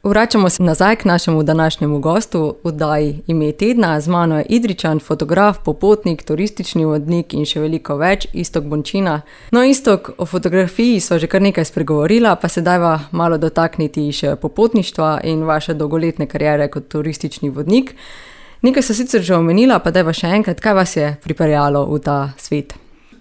Vračamo se nazaj k našemu današnjemu gostu v oddaji Ime tedna. Z mano je Idrijčan, fotograf, popotnik, turistični vodnik in še veliko več, Iztok Bončina. No, Iztok, o fotografiji sva že kar nekaj spregovorila, pa se dajva malo dotakniti še popotništva in vaše dolgoletne kariere kot turistični vodnik. Nekaj so sicer že omenila, pa dajva še enkrat, kaj vas je pripeljalo v ta svet?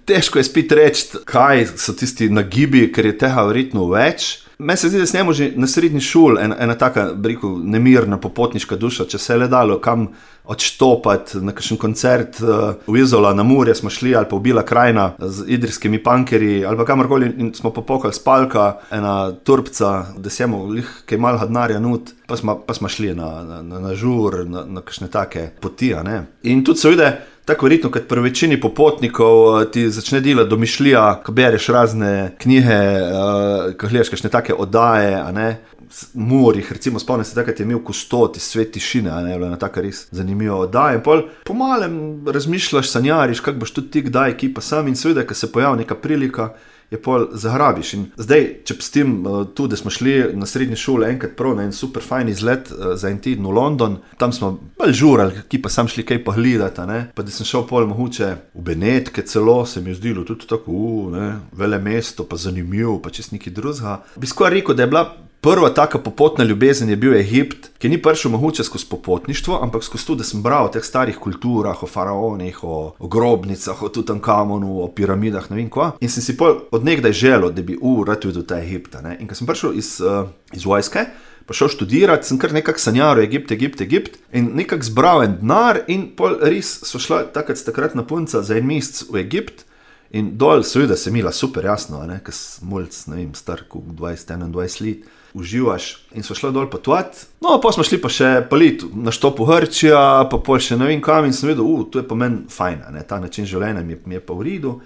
Težko je spet reči, kaj so tisti nagibi, ker je tega verjetno več. Meni se zdi, da snemo že na srednji šoli ena taka, rekel, nemirna popotniška duša, če se je le dalo kam odštopati na kakšen koncert v Izola na Murje smo šli, ali pa v Bila krajina z idrijskimi punkerji, ali pa kamorkoli in smo popokali spalka, ena turbca, da semo lih kaj malha denarja nut, pa smo šli na žur, na kakšne take poti, ne. In tudi se vide, tako verjetno, kot pri večini popotnikov ti začne delati domišljija, ko bereš razne knjige, ko gledaš kakšne take oddaje, a ne, Murjih, recimo spomnim se takrat je imel Kustod iz Svet tišine, a ne, bila ena taka res zanimiva oddaja in pol po malem razmišljaš, sanjariš, kako boš tudi ti kdaj ekipa sam in seveda, ko se pojavi neka prilika, je pol zagrabiš. In zdaj, če pustim tu, da smo šli na srednji šoli enkrat prav na en super fajn izlet za en teden v London, tam smo bolj žurali, ki pa sam šli kaj pogledati, ne, pa da sem šel pol mogoče v Benetke celo, se mi je zdelo tudi tako, ne, vele mesto, pa zanimivo, pa čist nekaj drugega. Bi skoraj rekel, da je bila prva taka popotna ljubezen je bil Egipt, ki ni prišel mogoče skozi popotništvo, ampak skozi to, da sem bral o teh starih kulturah, o faraonih, o grobnicah, o Tutankamonu, o piramidah, ne vem kva. In sem si pol od nekdaj želel, da bi rad videl ta Egipta, ne. In ko sem prišel iz vojske, pa šel študirati, sem kar nekako sanjaril Egipt in nekako zbral en denar in pol res so šla takratna punca za en mesec v Egipt in dol seveda se imela super jasno, ne, ko sem mulc, ne vem, star 20-21 let, uživaš in so šla dol potovati. No, pa smo šli pa še palit na štopu Grčija, pa pol še ne vem kam in sem vedel, to je pa meni fajn, ne, ta način življenja mi je pa v redu.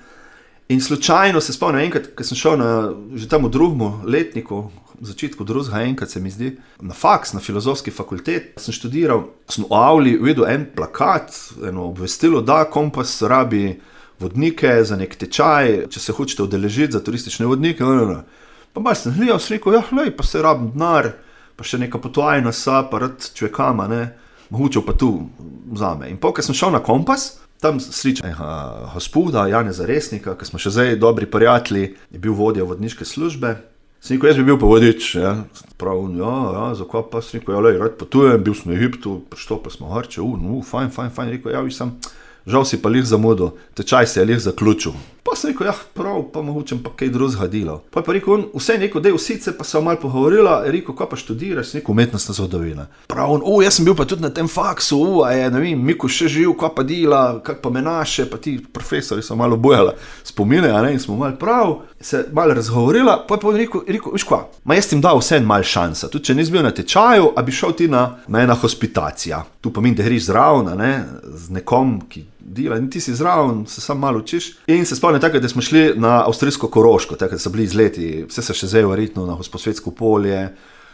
In slučajno se spomnim enkrat, ko sem šel že tam v drugem letniku, v začetku drugega enkrat se mi zdi, na faks, na filozofski fakultet, sem študiral, sem v avli videl en plakat, eno obvestilo, da Kompas rabi vodnike za nek tečaj, če se hočete udeležiti za turistične vodnike, Pa malo sem gledal, sem rekel, lej, pa se rabim denar, pa še neka potovajna sa, pa rad čujekama, ne, mogoče pa tu vzame. In ko sem šel na Kompas, tam sličam gospoda Janeza Resnika, ki smo še zdaj dobri prijatelji, je bil vodja vodniške službe. Sem rekel, jaz bi bil pa vodič, ja, prav, zakaj pa, sem rekel, lej, rad potujem, bil sem v Egiptu, prištopili smo Grče, fajn, rekel, vi sem, žal si pa lih zamudil, tečaj se je lih zaključil. Pa sem rekel, prav, pa mogoče pa kaj drugega delal. Pa je pa rekel, vse neko, dej vsice, pa se malo pogovorila, je rekel, kaj pa študiraš, sem rekel, umetnostna zgodovina. Prav, jaz sem bil pa tudi na tem faksu, ne vem, Miku še živ, kaj pa dela, kak pa me naše, pa ti profesori so malo bojala spomine, a ne, in smo malo prav, se malo razgovorila, pa je pa rekel, viš kva, jaz ti dal vse en mal šansa, tudi če nis bil na tečaju, a bi šel ti na ena hospitacija. Tu pa min, da griš zraven, ne, z nekom, ki dela, in ti si zraven, se sam malo učiš. In se spomnim takrat, da smo šli na avstrijsko Koroško, takrat so bili izleti, vse se še zdaj verjetno na Gosposvetsko polje,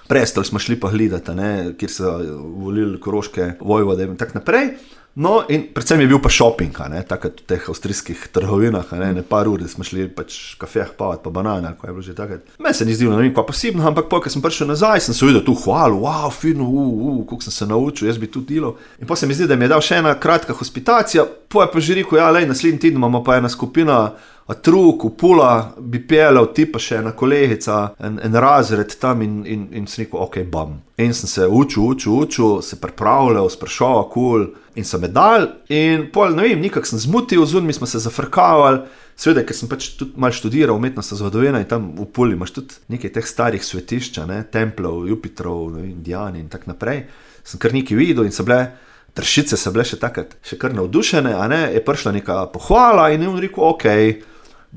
Prestol smo šli pa gledati, ne, kjer so volili koroške vojvode in tak naprej. No, in predvsem je bil pa shopping, ne, takrat v teh avstrijskih trgovinah, ne par ur, da smo šli pač kafeh pavat, pa banane, ko je bilo že takrat. Meni se ni zdelo, ne vem, kva posebno, ampak ko sem prišel nazaj, sem se videl tu hvalu, fino, koliko sem se naučil, jaz bi tu delal. In pa se mi zdi, da mi je dal še ena kratka hospitacija, pa je pa že rekel, lej, naslednji teden imamo pa ena skupina Truk, v Pula, bi peljal ti pa še ena kolegica, en razred tam in sem rekel, ok, bam. In sem se učil, se pripravljal, sprašal, in so me dal in pol, ne vem, nekako sem zmutil, zunaj smo se zafrkavali, seveda, ker sem pač tudi malo študiral umetnostna zgodovina in tam v Puli imaš tudi nekaj teh starih svetišča, ne, templov, Jupitrov, ne vem, Indiani in tak naprej. Sem kar nekaj videl in so bile Tršice so bile še takrat, še kar navdušene, a ne, je prišla neka pohvala in je on rekel, ok,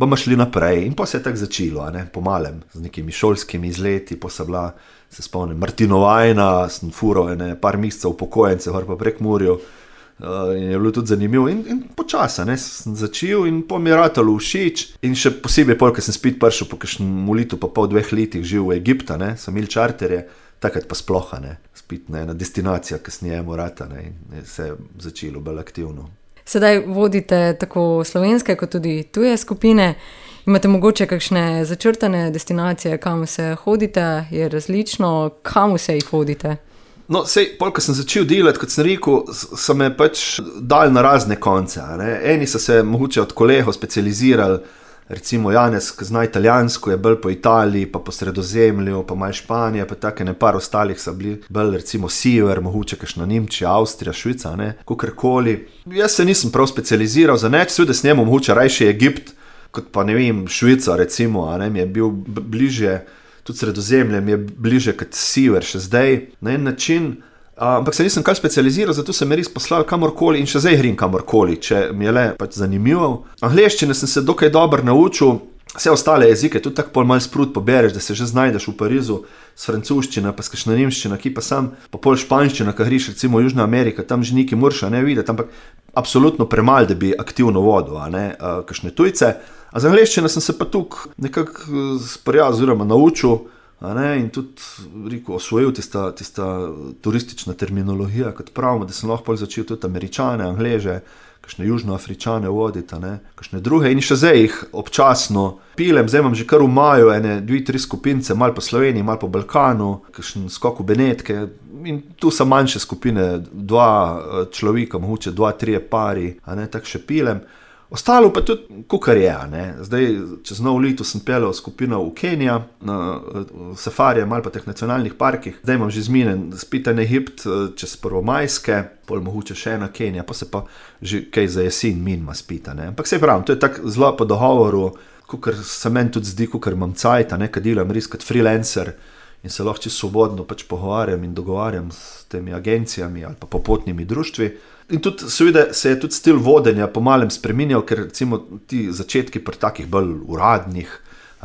bomo šli naprej. In pa se je tako začelo, a ne, po malem, z nekimi šolskimi izleti, pa so bila, se spomnim, Martinovajna, sem fural par mesecev upokojence, pa prek Murju, in je bilo tudi zanimivo. In počasa, ne, sem začel in po mi je ratalo všeč. In še posebej pol, ker sem spet prišel po kakšnem letu, pa pol 2 letih živ v Egipta, ne, sem imel čarterje, takrat pa sploh, ne, spet ena destinacija, kasneje morata, ne, in se je začelo bolj aktivno. Sedaj vodite tako slovenske kot tudi tuje skupine. Imate mogoče kakšne začrtane destinacije, kam se hodite, je različno, kam se jih hodite? No, ko sem začel delati, kot sem rekel, so me pač dali na razne konce. Eni so se mogoče od kolegov specializirali, recimo Janez, ki zna italijansko, je bolj po Italiji, pa po Sredozemlju, pa malo Španija, pa take par ostalih so bili bolj recimo sever, mogoče kakšna Nemčija, Avstrija, Švica, kakorkoli. Jaz se nisem prav specializiral za nič, seveda s njemu mogoče rajši Egipt, kot pa ne vem, Švica recimo, mi je bil bliže, tudi Sredozemlje mi je bliže kot sever še zdaj, na en način, ampak se nisem kaj specializiral, zato sem me res poslal kamorkoli in še zdaj hrim kamorkoli, če mi je le pač zanimivo. Angleščine sem se dokaj dobro naučil, vse ostale jezike, tudi tako pol malo sprut pobereš, da se že znajdeš v Parizu s francoščina, pa s kakšna nemščina, ki pa sam, pa pol španščina, ko griš recimo v Južna Amerika, tam že neki murša ne videti, ampak absolutno premal, da bi aktivno vodil, kakšne tujce. A za angleščino sem se pa tukaj nekako sprijal oziroma naučil, in tudi rekel, osvojil tista turistična terminologija, kot pravimo, da sem lahko začel tudi Američane, Angleže, kakšne Južnoafričane voditi, kakšne druge in še zdaj jih občasno pilem, zdaj imam že kar v maju 2-3 skupince, malo po Sloveniji, malo po Balkanu, kakšen skok v Benetke in tu so manjše skupine, 2 človeka, mogoče 2-3 pari, tako še pilem. Ostalo pa tudi, kakor je, Zdaj, čez novo leto sem peljal skupino v Kenija, na safarije, malo po teh nacionalnih parkih. Zdaj imam že zminen spet en Egipt, čez Prvomajske, pol mogoče še ena Kenija, pa se pa že kaj za jesen minima spita, Ampak saj pravim, to je tako zelo po dogovoru, kakor se meni tudi zdi, kakor imam cajt, kad delam res kot freelancer in se lahko čisto svobodno pač pogovarjam in dogovarjam s temi agencijami ali pa popotnimi društvi. In tudi seveda se je tudi stil vodenja po malem spreminjal, ker recimo ti začetki pri takih bolj uradnih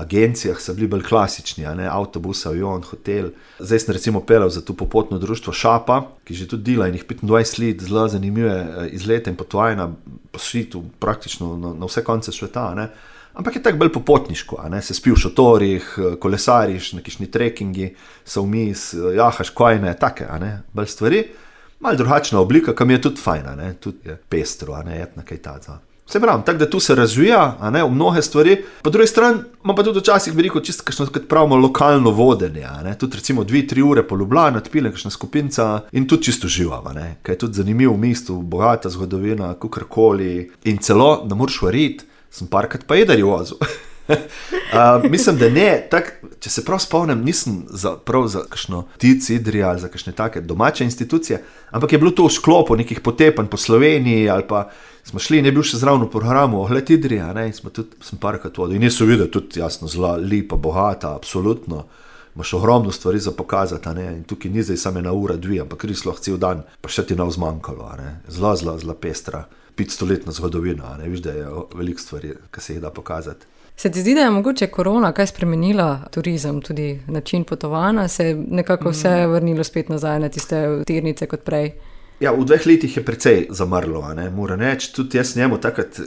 agencijah so bili bolj klasični, avtobus, avion, hotel. Zdaj sem recimo peljal za to popotno društvo Šapa, ki že tudi dela in jih 25 let zelo zanimive izlete in potovanja po svetu, praktično na vse konce sveta, Ampak je tako bolj popotniško, se spi v šotorih, kolesariš, na kakšni trekingi, so vmes, jahaš kojne, take, bolj stvari. Malo drugačna oblika, kam je tudi fajna, tudi je pestro, etna kaj taca. Vse pravim, tako da tu se razvija, v mnoge stvari. Po drugi strani imam pa tudi včasih, bi rekel, čisto kakšno, kot pravimo, lokalno vodenje, Tudi recimo 2-3 ure po Ljubljani, odpilem kakšna skupinca in tudi čisto živam, Kaj je tudi zanimivo v mestu, bogata zgodovina, kakorkoli in celo, da moraš variti, sem parkrat pa jedar vozil. Mislim, da ne, če se prav spomnim, nisem prav za kakšno Tic Idrija ali za kakšne take domače institucije, ampak je bilo to v sklopu nekih potepanj po Sloveniji ali pa smo šli in je bil še zraven v programu Ogled Idrija, in sem parkrat vodil. In je so videti tudi jasno zelo lepa, bogata, absolutno. Imaš ogromno stvari za pokazati, in tukaj ni zdaj samo 1 ura, 2, ampak res lahko cel dan, pa še ti nav zmanjkalo, zelo pestra, 500-letna zgodovina, viš, da je veliko stvari, ki se jih da pokazati. Se ti zdi, da je mogoče korona kaj spremenila turizem, tudi način potovanja, se je nekako vse vrnilo spet nazaj na tiste tirnice kot prej? Ja, v 2 letih je precej zamrlo, moram reči, tudi jaz njemu takrat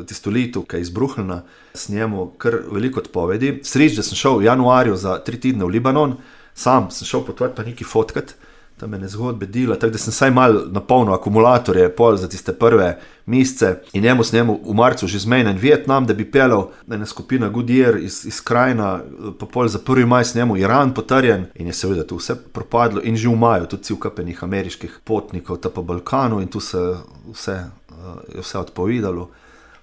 tisto leto, ki je izbruhnila, s njemu kar veliko odpovedi. Sreč, da sem šel v januarju za 3 tedne v Libanon, sam sem šel potovati pa nekaj fotkat, tam ene zgodbe dela, tako da sem saj malo napolnil akumulatorje pol za tiste prve mesece in s njemu v marcu že zmenjen Vietnam, da bi peljal ena skupina Goodyear iz Krajina, pa pol za 1. maj s njemu Iran potrjen in je seveda to vse propadlo in že v maju tudi cel kapenih ameriških potnikov ta po Balkanu in tu se vse odpovedalo.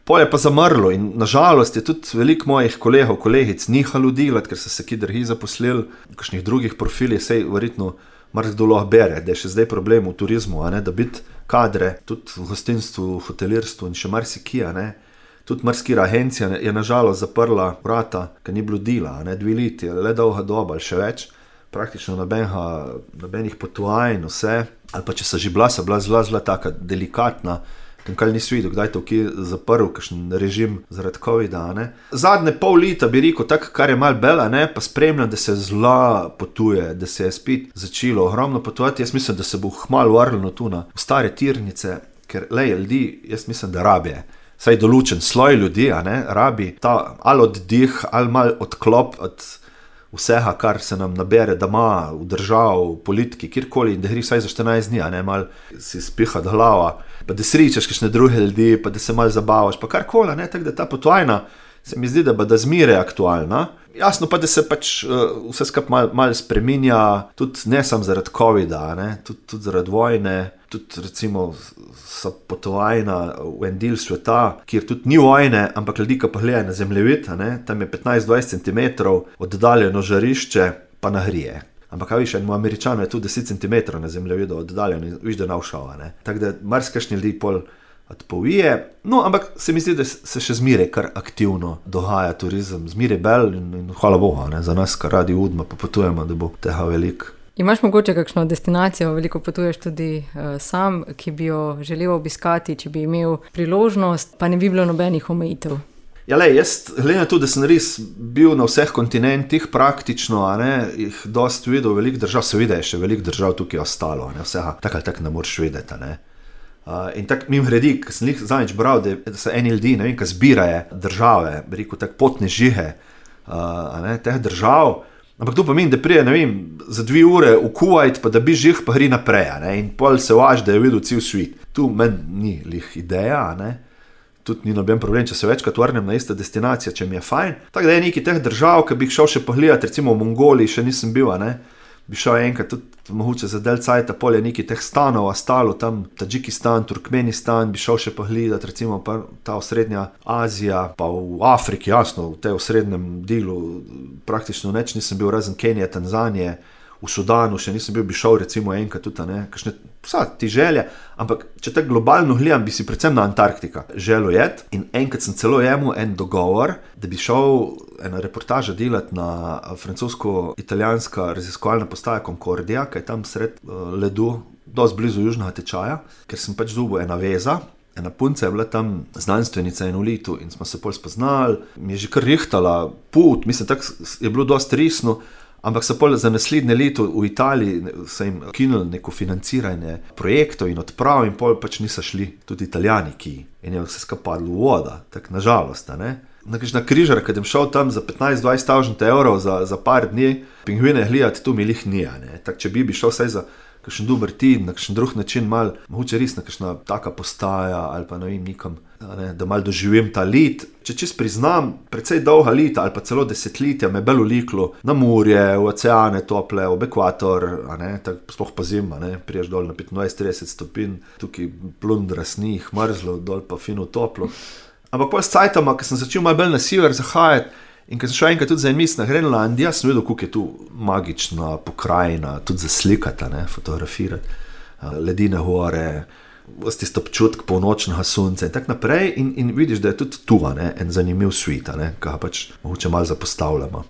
Pol je pa zamrlo in nažalost je tudi veliko mojih kolegov, kolegic nihalo delati, ker so se ki dragi zaposlili v kakšnih drugih profilih, sej verjetno marsikdo lahko bere, da je še zdaj problem v turizmu, da biti kadre, tudi v gostinstvu, v hotelirstvu in še marsikje, Tudi marsikira agencija je nažalost zaprla vrata, ker ni bilo dela, 2 leti, le dolga doba ali še več, praktično nobenih potovanj, vse, ali pa če so že bila zelo taka delikatna, kaj nisi videl, kdaj to kje zaprl, kakšen režim zaradi covida, Zadnje pol leta bi rekel, tako kar je malo bela, pa spremljam, da se zelo potuje, da se je spet začelo ogromno potovati. Jaz mislim, da se bo hmalo vrnilo tu na stare tirnice, ker ljudi, jaz mislim, da rabijo. Saj določen sloj ljudi, rabi ta ali oddih, ali malo odklop od vsega, kar se nam nabere doma, v držav, v politiki, kjerkoli, in da gre vsaj za 14 dni, a ne, mal si spihati glava, pa da sričaš kakšne druge ljudi, pa da se mal zabavaš, pa karkoli, ne, tako da ta potovina se mi zdi, da bo da zmeraj aktualna. Jasno pa, da se pač vse skupaj mal spreminja, tudi ne samo zaradi covida, ne, tudi zaradi vojne, tudi recimo so potovajna v en del sveta, kjer tudi ni vojne, ampak ljudi, ki pa gledajo na zemljevid, ne, tam je 15-20 cm oddaljeno žarišče, pa nahrije. Ampak kaj viš, enemu Američanu je tudi 10 cm na zemljevidu oddaljeno, viš, da navšava, ne. Tako da marsikšni ljudi pol odpovije, no, ampak se mi zdi, da se še zmeraj kar aktivno dogaja turizem, zmeraj bel in hvala Bogu, ne, za nas, kar radi udma, pa potujemo, da bo tega veliko. Imaš mogoče kakšno destinacijo, veliko potuješ tudi sam, ki bi jo želel obiskati, če bi imel priložnost, pa ne bi bilo nobenih omejitev? Ja, lej, jaz gledam na to, da sem res bil na vseh kontinentih praktično, a ne, jih dosti videl, veliko držav, seveda je še veliko držav tukaj ostalo, a ne, vsega tak ali tak ne moreš vedeti, a ne. In tako mim gredi, ko sem jih zadnjič bral, da so eni ljudi, ne vem, ki zbirajo države, bi rekel, tako potne žihe, teh držav, ampak to pomeni, da prije, ne vem, za 2 ure v Kuvajt, pa da bi žih, pa gre naprej, ne, in pol se važ, da je videl cel svet. Tu meni ni lih ideja, ne, tudi ni noben problem, če se večkrat vrnem na ista destinacija, če mi je fajn. Tako da je nekaj teh držav, ki bi jih šel še pogledati, recimo v Mongoliji še nisem bil, ne, bi šel enkrat tudi mogoče za del cajta, pol je nekaj teh stanov ostalo, tam Tadžikistan, Turkmenistan, bi šel še pogledati, recimo pa ta osrednja Azija, pa v Afriki, jasno, v tej osrednjem delu praktično nič nisem bil, razen Kenije, Tanzanije, v Sudanu še nisem bil, bi šel recimo enkrat tudi, ne, kakšne, vsa ti želje, ampak če tako globalno gledam, bi si predvsem na Antarktika želel jet in enkrat sem celo jemu en dogovor, da bi šel ena reportaža delati na francosko-italijanska raziskovalna postaja Concordia, ki je tam sred ledu, dosti blizu južnega tečaja, ker sem pač dobil ena veza, ena punca je bila tam znanstvenica in v letu in smo se pol spoznali, mi je že kar rihtala put, mislim, tako je bilo dosti resno, ampak so pol za naslednje leto v Italiji so jim kinili neko financiranje projektov in odprav in pol pač niso šli tudi Italijani, ki in je vse skapadlo v voda, tako nažalost, ne. Na križar, kad sem šel tam za 15-20 evrov za par dni, pingvine gledati, tu mi lih nije, ne. Tak, če bi šel vsaj za kakšen dober teden, na kakšen drug način mal, mogoče res na kakšna taka postaja ali pa ne vem nikam, ne, da mal doživim ta let. Če čist priznam, precej dolga leta ali pa celo desetletja me bolj uliklo na morje, v oceane tople, v ekvator, a ne, tako sploh pa zima, ne, priješ dol na 25-30 stopinj, tukaj plundra snih, mrzlo, dol pa fino toplo. Ampak pol s cajtama, ko sem začel malo bolj na sever zahajati in ko sem šel enkrat tudi za en mesec na Grenlandija, sem videl, kako je tu magična pokrajina, tudi za slikati, ne, fotografirati, ledine gore, tisto občutek polnočnega sonca in tak naprej in vidiš, da je tudi tu, ne, en zanimiv svet, ne, ki ga pač mogoče malo zapostavljamo.